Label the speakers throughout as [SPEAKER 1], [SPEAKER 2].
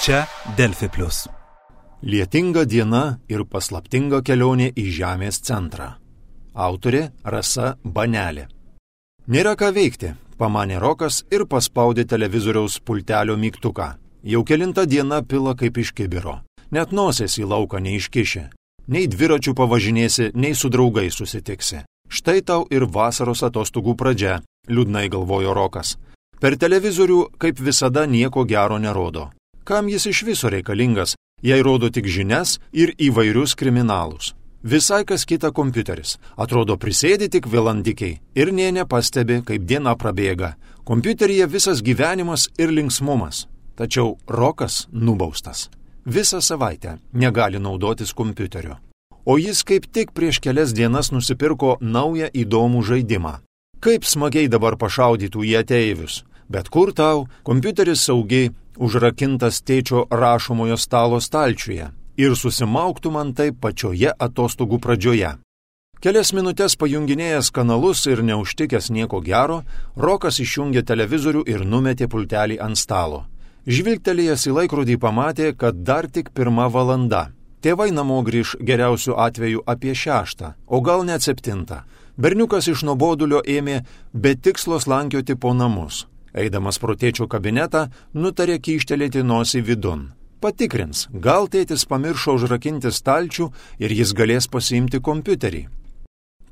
[SPEAKER 1] Čia Delfi Plius.
[SPEAKER 2] Lietinga diena ir paslaptinga kelionė į Žemės centrą. Autorė Rasa Banelė. Nėra ką veikti, pamanė Rokas ir paspaudė televizoriaus pultelio mygtuką. Jau kelintą dieną pila kaip iš kibiro. Net nosės į lauką neiškišė. Nei dviračių pavažinėsi, nei su draugais susitiksi. Štai tau ir vasaros atostogų pradžia, liūdnai galvojo Rokas. Per televizorių, kaip visada, nieko gero nerodo. Kam jis iš viso reikalingas, jei rodo tik žinias ir įvairius kriminalus? Visai kas kita kompiuteris. Atrodo, prisėdi tik valandikiai ir nė nepastebi, kaip diena prabėga. Kompiuteryje visas gyvenimas ir linksmumas. Tačiau Rokas nubaustas. Visą savaitę negali naudotis kompiuteriu. O jis kaip tik prieš kelias dienas nusipirko naują įdomų žaidimą. Kaip smagiai dabar pašaudytų į ateivius. Bet kur tau, kompiuteris saugiai užrakintas tėčio rašomojo stalo stalčiuje ir susimauktų man taip pačioje atostogų pradžioje. Kelias minutės pajunginėjęs kanalus ir neužtikęs nieko gero, Rokas išjungė televizorių ir numetė pultelį ant stalo. Žvilgtelėjęs į laikrodį pamatė, kad dar tik 1 valanda. Tėvai namo grįž geriausiu atveju apie 6, o gal net 7. Berniukas iš nuobodulio ėmė be tikslo slankioti po namus. Eidamas pro tėčio kabinetą, nutarė kyštelėti nosį vidun. Patikrins, gal tėtis pamiršo užrakinti stalčių ir jis galės pasiimti kompiuterį.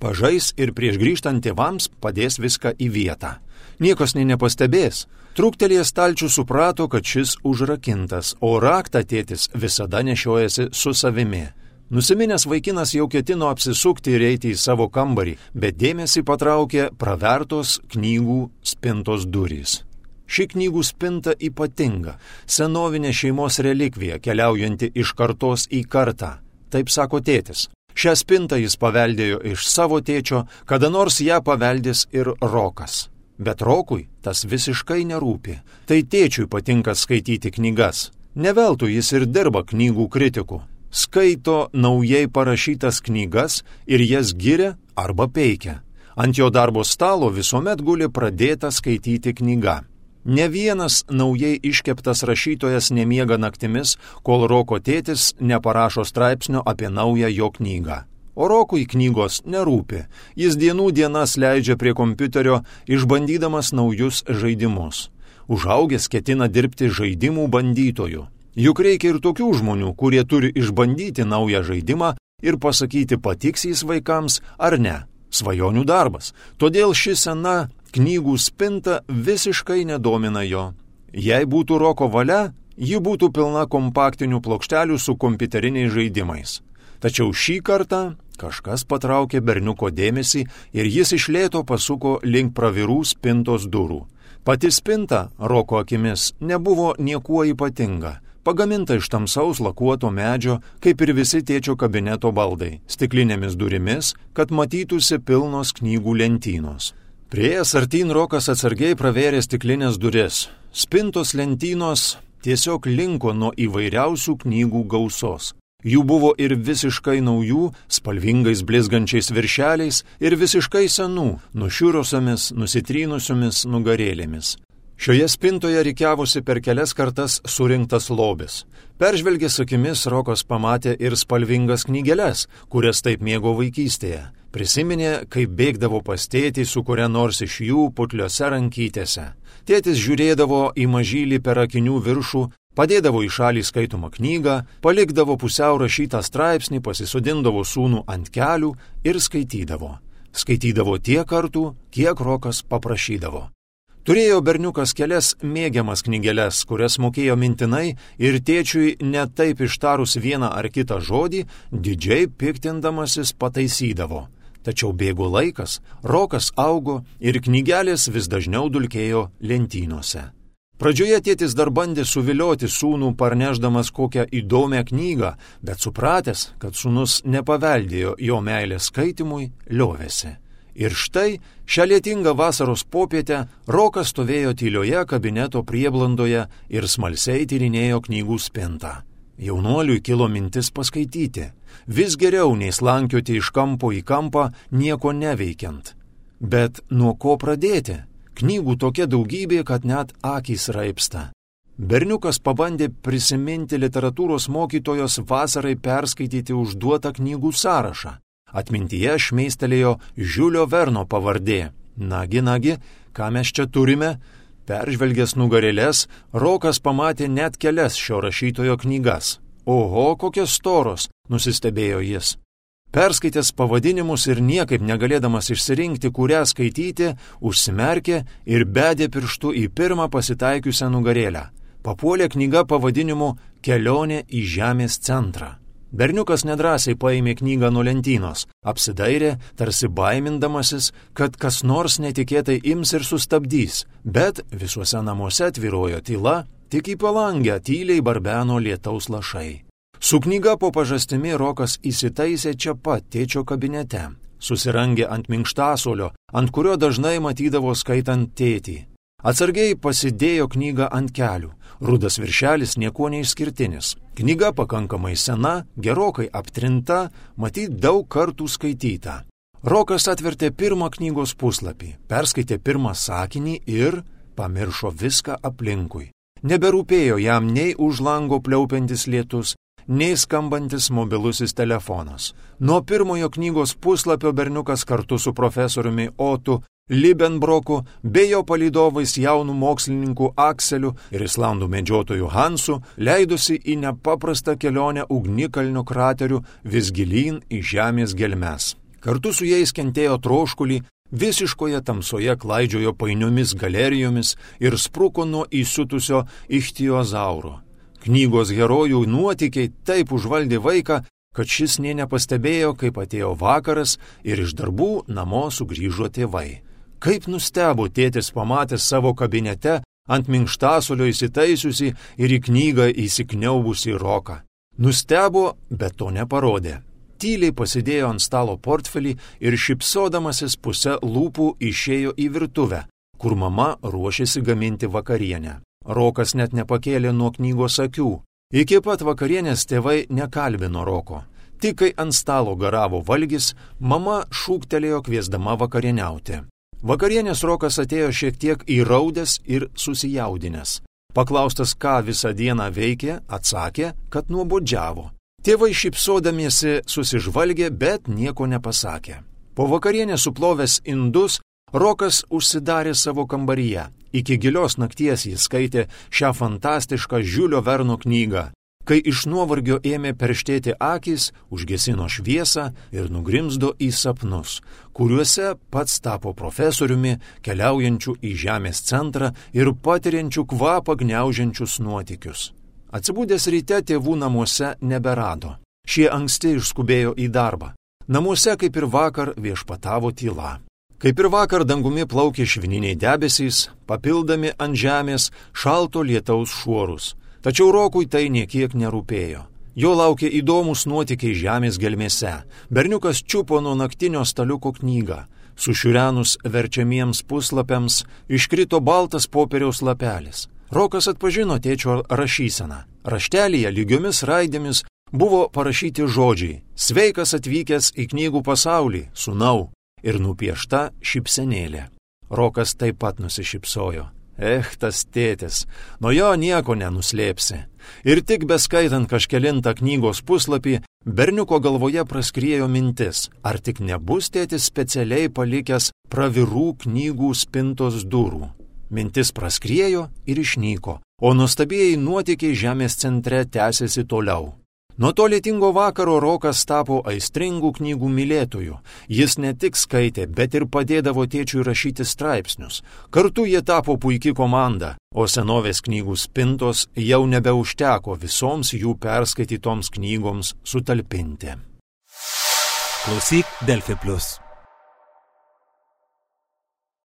[SPEAKER 2] Pažais ir prieš grįžtant tėvams padės viską į vietą. Niekas nepastebės. Trūktelėjęs stalčių suprato, kad šis užrakintas, o raktą tėtis visada nešiojasi su savimi. Nusiminęs vaikinas jau ketino apsisukti ir eiti į savo kambarį, bet dėmesį patraukė pravertos knygų spintos durys. Ši knygų spinta ypatinga, senovinė šeimos relikvija, keliaujanti iš kartos į kartą. Taip sako tėtis. Šią spintą jis paveldėjo iš savo tėčio, kada nors ją paveldės ir Rokas. Bet Rokui tas visiškai nerūpi. Tai tėčiui patinka skaityti knygas. Ne veltui jis ir dirba knygų kritiku. Skaito naujai parašytas knygas ir jas giria arba peikia. Ant jo darbo stalo visuomet guli pradėta skaityti knyga. Ne vienas naujai iškeptas rašytojas nemiega naktimis, kol Roko tėtis neparašo straipsnio apie naują jo knygą. O Rokui knygos nerūpi. Jis dienų dienas leidžia prie kompiuterio, išbandydamas naujus žaidimus. Užaugęs ketina dirbti žaidimų bandytoju. Juk reikia ir tokių žmonių, kurie turi išbandyti naują žaidimą ir pasakyti, patiks jis vaikams ar ne. Svajonių darbas. Todėl ši sena knygų spinta visiškai nedomina jo. Jei būtų Roko valia, ji būtų pilna kompaktinių plokštelių su kompiuteriniais žaidimais. Tačiau šį kartą kažkas patraukė berniuko dėmesį ir jis iš lėto pasuko link pravirų spintos durų. Pati spinta, Roko akimis, nebuvo niekuo ypatinga. Pagaminta iš tamsaus lakuoto medžio, kaip ir visi tėčio kabineto baldai, stiklinėmis durimis, kad matytųsi pilnos knygų lentynos. Priėjęs artyn Rokas atsargiai pravėrė stiklinės duris. Spintos lentynos tiesiog linko nuo įvairiausių knygų gausos. Jų buvo ir visiškai naujų, spalvingais blizgančiais viršeliais, ir visiškai senų, nušiurosiomis, nusitrynusiomis nugarėlėmis. Šioje spintoje rikiavosi per kelias kartas surinktas lobis. Peržvelgęs akimis Rokas pamatė ir spalvingas knygeles, kurias taip mėgo vaikystėje. Prisiminė, kaip bėgdavo pas tėtį su kuria nors iš jų putliose rankytėse. Tėtis žiūrėdavo į mažylį per akinių viršų, padėdavo į šalį skaitomą knygą, palikdavo pusiau rašytą straipsnį, pasisodindavo sūnų ant kelių ir skaitydavo. Skaitydavo tiek kartų, kiek Rokas paprašydavo. Turėjo berniukas kelias mėgiamas knygeles, kurias mokėjo mintinai ir tėčiui net taip ištarus vieną ar kitą žodį, didžiai piktindamasis pataisydavo. Tačiau bėgo laikas, Rokas augo ir knygelės vis dažniau dulkėjo lentynose. Pradžioje tėtis dar bandė suvilioti sūnų parnešdamas kokią įdomią knygą, bet supratęs, kad sūnus nepaveldėjo jo meilės skaitimui, liovėsi. Ir štai, šią lietingą vasaros popietę Rokas stovėjo tylioje kabineto prieblandoje ir smalsiai tyrinėjo knygų spintą. Jaunuoliui kilo mintis paskaityti. Vis geriau nei slankioti iš kampo į kampą, nieko neveikiant. Bet nuo ko pradėti? Knygų tokia daugybė, kad net akys raibsta. Berniukas pabandė prisiminti literatūros mokytojos vasarai perskaityti užduotą knygų sąrašą. Atmintyje šmeistelėjo Žiulio Verno pavardė. Nagi, ką mes čia turime? Peržvelgęs nugarėlės, Rokas pamatė net kelias šio rašytojo knygas. Oho, kokios storos, nusistebėjo jis. Perskaitęs pavadinimus ir niekaip negalėdamas išsirinkti, kurią skaityti, užsimerkė ir bedė pirštu į pirmą pasitaikiusią nugarėlę. Papuolė knyga pavadinimu Kelionė į Žemės centrą. Berniukas nedrąsiai paėmė knygą nuo lentynos, apsidairė, tarsi baimindamasis, kad kas nors netikėtai ims ir sustabdys, bet visuose namuose tvyrojo tyla, tik į palangę tyliai barbeno lietaus lašai. Su knyga po pažastimi Rokas įsitaisė čia pat tėčio kabinete, susirangė ant minkštasuolio, ant kurio dažnai matydavo skaitant tėtį. Atsargiai pasidėjo knygą ant kelių, rudas viršelis niekuo neišskirtinis. Knyga pakankamai sena, gerokai aptrinta, matyt daug kartų skaityta. Rokas atvertė pirmą knygos puslapį, perskaitė pirmą sakinį ir pamiršo viską aplinkui. Neberūpėjo jam nei už lango pliaupiantis lietus, nei skambantis mobilusis telefonas. Nuo pirmojo knygos puslapio berniukas kartu su profesoriumi Otu Libenbroku bei jo palydovais jaunų mokslininkų Akseliu ir islandų medžiotojų Hansu leidosi į nepaprastą kelionę ugnikalnio kraterių vis gilyn į žemės gelmes. Kartu su jais kentėjo troškulį, visiškoje tamsoje klaidžiojo painiomis galerijomis ir spruko nuo įsiutusio ichtiozauro. Knygos herojų nuotykiai taip užvaldė vaiką, kad šis nė nepastebėjo, kaip atėjo vakaras ir iš darbų namo sugrįžo tėvai. Kaip nustebo tėtis pamatęs savo kabinete ant minkštasuolio įsitaisiusi ir į knygą įsikniaubusi Roką. Nustebo, bet to neparodė. Tyliai pasidėjo ant stalo portfelį ir šypsodamasis puse lūpų išėjo į virtuvę, kur mama ruošėsi gaminti vakarienę. Rokas net nepakėlė nuo knygos akių. Iki pat vakarienės tėvai nekalbino Roko. Tik kai ant stalo garavo valgis, mama šūktelėjo kviesdama vakarieniauti. Vakarienės Rokas atėjo šiek tiek įraudęs ir susijaudinęs. Paklaustas, ką visą dieną veikė, atsakė, kad nuobodžiavo. Tėvai šypsodamiesi susižvalgė, bet nieko nepasakė. Po vakarienės suplovęs indus, Rokas užsidarė savo kambaryje. Iki gilios nakties jis skaitė šią fantastišką Žiulio Verno knygą. Kai iš nuovargio ėmė perštėti akys, užgesino šviesą ir nugrimzdo į sapnus, kuriuose pats tapo profesoriumi, keliaujančiu į Žemės centrą ir patiriančiu kvapą gniaužiančius nuotykius. Atsibūdęs ryte tėvų namuose neberado. Šie anksti išskubėjo į darbą. Namuose, kaip ir vakar, viešpatavo tyla. Kaip ir vakar dangumi plaukė švininiai debesys, papildami ant žemės šalto lietaus šuorus. Tačiau Rokui tai niekiek nerūpėjo. Jo laukė įdomus nuotykiai žemės gelmėse. Berniukas čiupo nuo naktinio staliuko knygą. Sušiurenus verčiamiems puslapiams iškrito baltas popieriaus lapelis. Rokas atpažino tėčio rašyseną. Raštelyje lygiomis raidėmis buvo parašyti žodžiai: Sveikas atvykęs į knygų pasaulį, sūnau, ir nupiešta šypsenėlė. Rokas taip pat nusišypsojo. Tas tėtis, nuo jo nieko nenuslėpsi. Ir tik beskaitant kažkelintą knygos puslapį, berniuko galvoje praskriejo mintis, ar tik nebus tėtis specialiai palikęs pravirų knygų spintos durų. Mintis praskriejo ir išnyko, o nuostabieji nuotykiai Žemės centre tęsėsi toliau. Nuo to lietingo vakaro Rokas tapo aistringų knygų mylėtojų. Jis ne tik skaitė, bet ir padėdavo tėčiui rašyti straipsnius. Kartu jie tapo puikia komanda, o senovės knygų spintos jau nebeužteko visoms jų perskaitytoms knygoms sutalpinti.
[SPEAKER 1] Klausyk Delfi Plus.